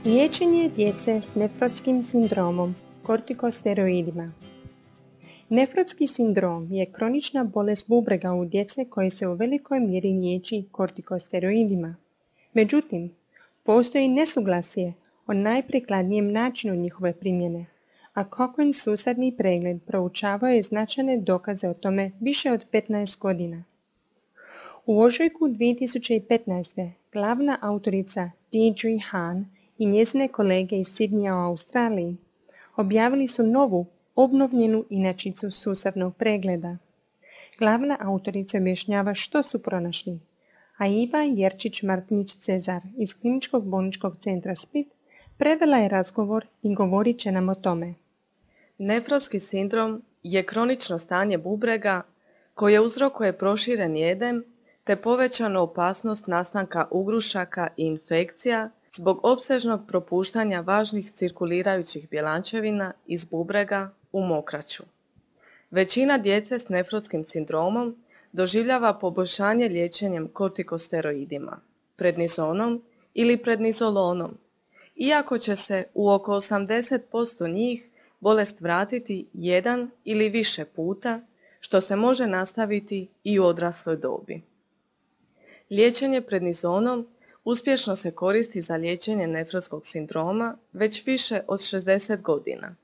Liječenje djece s nefrotskim sindromom, kortikosteroidima. Nefrotski sindrom je kronična bolest bubrega u djece koje se u velikoj mjeri liječi kortikosteroidima. Međutim, postoji nesuglasje o najprikladnijem načinu njihove primjene, a Cochrane sustavni pregled proučavao je značajne dokaze o tome više od 15 godina. U ožujku 2015. glavna autorica Deirdre Hahn i njezine kolege iz Sydneya u Australiji objavili su novu, obnovljenu inačicu sustavnog pregleda. Glavna autorica objašnjava što su pronašli, a Iva Jerčić-Martinić-Cezar iz Kliničkog bolničkog centra Split prevela je razgovor i govorit će nam o tome. Nefrotski sindrom je kronično stanje bubrega koje uzrokuje proširen jedem te povećanu opasnost nastanka ugrušaka i infekcija zbog opsežnog propuštanja važnih cirkulirajućih bjelančevina iz bubrega u mokraću. Većina djece s nefrotskim sindromom doživljava poboljšanje liječenjem kortikosteroidima, prednizonom ili prednizolonom, iako će se u oko 80% njih bolest vratiti jedan ili više puta, što se može nastaviti i u odrasloj dobi. Liječenje prednizonom uspješno se koristi za liječenje nefrotskog sindroma već više od 60 godina,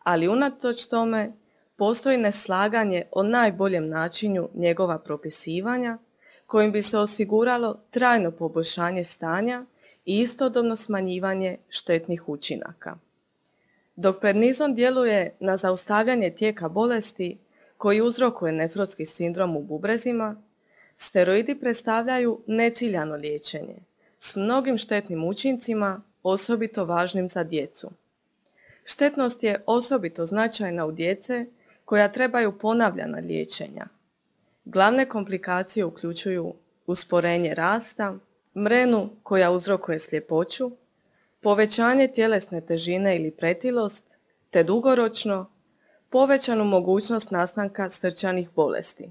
ali unatoč tome postoji neslaganje o najboljem načinu njegova propisivanja kojim bi se osiguralo trajno poboljšanje stanja i istodobno smanjivanje štetnih učinaka. Dok prednizon djeluje na zaustavljanje tijeka bolesti koji uzrokuje nefrotski sindrom u bubrezima, steroidi predstavljaju neciljano liječenje s mnogim štetnim učincima, osobito važnim za djecu. Štetnost je osobito značajna u djece koja trebaju ponavljana liječenja. Glavne komplikacije uključuju usporenje rasta, mrenu koja uzrokuje sljepoću, povećanje tjelesne težine ili pretilost, te dugoročno povećanu mogućnost nastanka srčanih bolesti.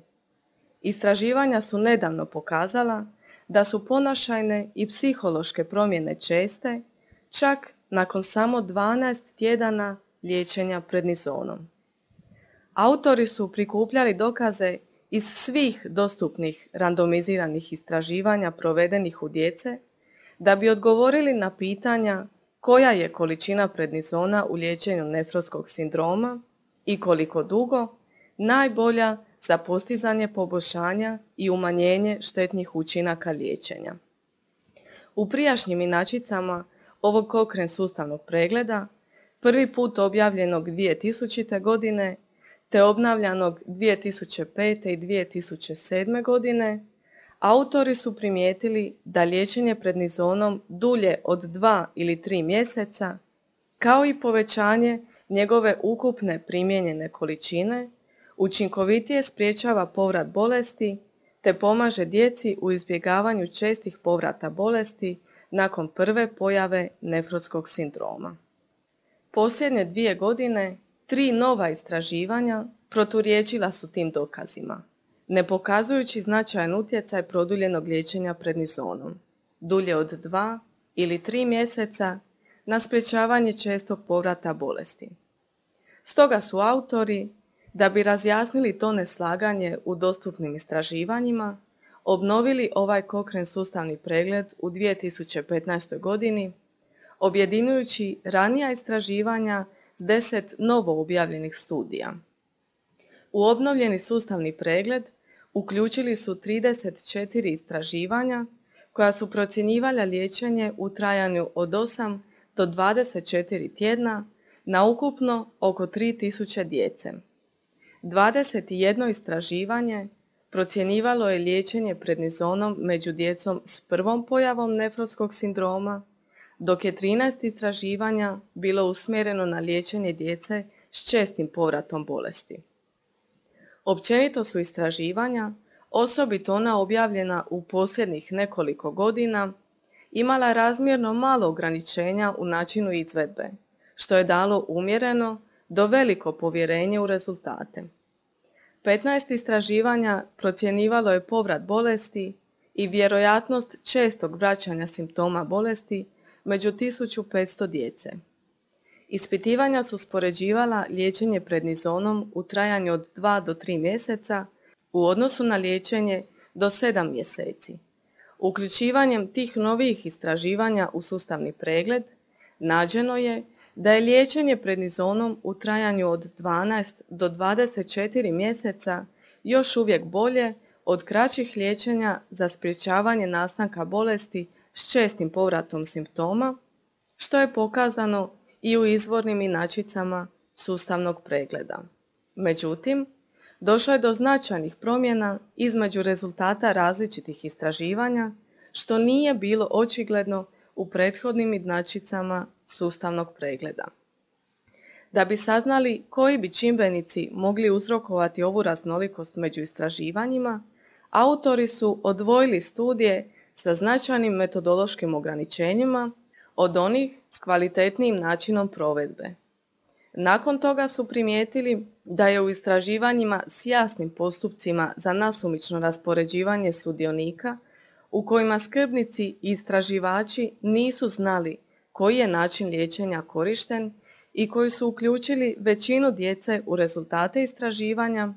Istraživanja su nedavno pokazala da su ponašajne i psihološke promjene česte, čak nakon samo 12 tjedana liječenja prednizonom. Autori su prikupljali dokaze iz svih dostupnih randomiziranih istraživanja provedenih u djece da bi odgovorili na pitanja koja je količina prednizona u liječenju nefrotskog sindroma i koliko dugo najbolja za postizanje poboljšanja i umanjenje štetnih učinaka liječenja. U prijašnjim inačicama ovog Cochrane sustavnog pregleda, prvi put objavljenog 2000. godine te obnavljanog 2005. i 2007. godine, autori su primijetili da liječenje prednizonom dulje od 2 ili 3 mjeseca, kao i povećanje njegove ukupne primijenjene količine, učinkovitije sprječava povrat bolesti te pomaže djeci u izbjegavanju čestih povrata bolesti nakon prve pojave nefrotskog sindroma. Posljednje 2 godine 3 nova istraživanja proturječila su tim dokazima, ne pokazujući značajan utjecaj produljenog liječenja prednizonom, dulje od 2 ili 3 mjeseca, na sprječavanje čestog povrata bolesti. Stoga su autori, da bi razjasnili to neslaganje u dostupnim istraživanjima, obnovili ovaj Cochrane sustavni pregled u 2015. godini, objedinjujući ranija istraživanja s 10 novo objavljenih studija. U obnovljeni sustavni pregled uključili su 34 istraživanja koja su procjenjivala liječenje u trajanju od 8 do 24 tjedna na ukupno oko 3000 djece. 21 istraživanje procjenjivalo je liječenje prednizonom među djecom s prvom pojavom nefrotskog sindroma, dok je 13 istraživanja bilo usmjereno na liječenje djece s čestim povratom bolesti. Općenito su istraživanja, osobito ona objavljena u posljednjih nekoliko godina, imala razmjerno malo ograničenja u načinu izvedbe, što je dalo umjereno do veliko povjerenje u rezultate. 15 istraživanja procjenjivalo je povrat bolesti i vjerojatnost čestog vraćanja simptoma bolesti među 1500 djece. Ispitivanja su uspoređivala liječenje prednizonom u trajanju od 2 do 3 mjeseca u odnosu na liječenje do 7 mjeseci. Uključivanjem tih novijih istraživanja u sustavni pregled nađeno je da je liječenje prednizonom u trajanju od 12 do 24 mjeseca još uvijek bolje od kraćih liječenja za sprječavanje nastanka bolesti s čestim povratom simptoma, što je pokazano i u izvornim inačicama sustavnog pregleda. Međutim, došlo je do značajnih promjena između rezultata različitih istraživanja, što nije bilo očigledno u prethodnim inačicama sustavnog pregleda. Da bi saznali koji bi čimbenici mogli uzrokovati ovu raznolikost među istraživanjima, autori su odvojili studije sa značajnim metodološkim ograničenjima od onih s kvalitetnijim načinom provedbe. Nakon toga su primijetili da je u istraživanjima s jasnim postupcima za nasumično raspoređivanje sudionika, u kojima skrbnici i istraživači nisu znali koji je način liječenja korišten i koji su uključili većinu djece u rezultate istraživanja,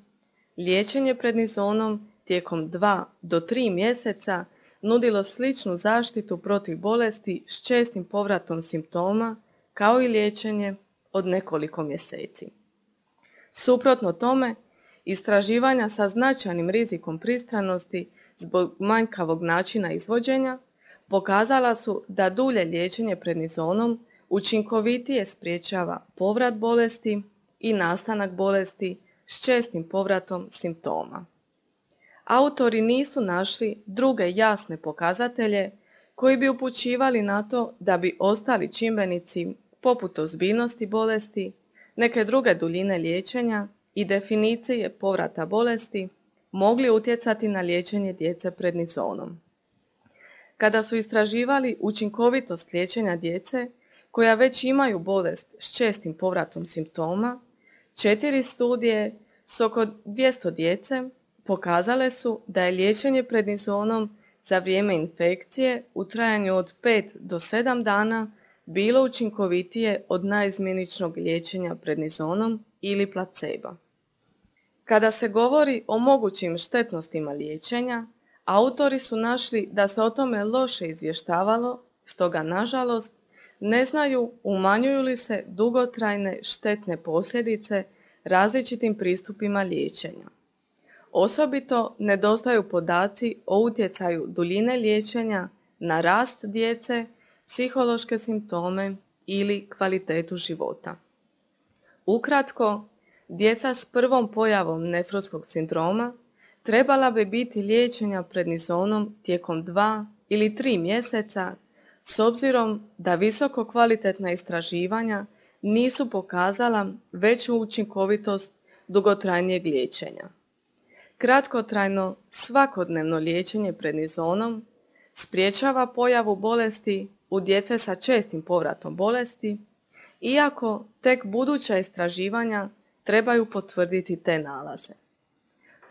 liječenje prednizonom tijekom 2 do 3 mjeseca nudilo sličnu zaštitu protiv bolesti s čestim povratom simptoma kao i liječenje od nekoliko mjeseci. Suprotno tome, istraživanja sa značajnim rizikom pristranosti zbog manjkavog načina izvođenja pokazala su da dulje liječenje prednizonom učinkovitije sprječava povrat bolesti i nastanak bolesti s čestim povratom simptoma. Autori nisu našli druge jasne pokazatelje koji bi upućivali na to da bi ostali čimbenici poput ozbiljnosti bolesti, neke druge duljine liječenja i definicije povrata bolesti mogli utjecati na liječenje djece prednizonom. Kada su istraživali učinkovitost liječenja djece koja već imaju bolest s čestim povratom simptoma, 4 studije s oko 200 djece pokazale su da je liječenje prednizonom za vrijeme infekcije u trajanju od 5 do 7 dana bilo učinkovitije od naizmjeničnog liječenja prednizonom ili placebo. Kada se govori o mogućim štetnostima liječenja, autori su našli da se o tome loše izvještavalo, stoga nažalost ne znaju umanjuju li se dugotrajne štetne posljedice različitim pristupima liječenja. Osobito nedostaju podaci o utjecaju duljine liječenja na rast djece, psihološke simptome ili kvalitetu života. Ukratko, djeca s prvom pojavom nefrotskog sindroma trebala bi biti liječena prednizonom tijekom 2 ili 3 mjeseca s obzirom da visoko kvalitetna istraživanja nisu pokazala veću učinkovitost dugotrajnijeg liječenja. Kratkotrajno svakodnevno liječenje prednizonom sprječava pojavu bolesti u djece sa čestim povratom bolesti, iako tek buduća istraživanja trebaju potvrditi te nalaze.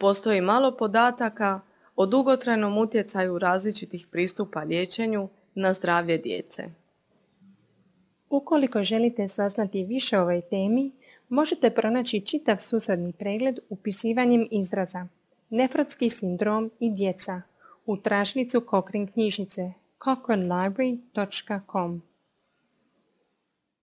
Postoji malo podataka o dugotrajnom utjecaju različitih pristupa liječenju na zdravlje djece. Ukoliko želite saznati više o ovoj temi, možete pronaći čitav susadni pregled upisivanjem izraza nefrotski sindrom i djeca u tražilicu Cochrane knjižnice cochranelibrary.com.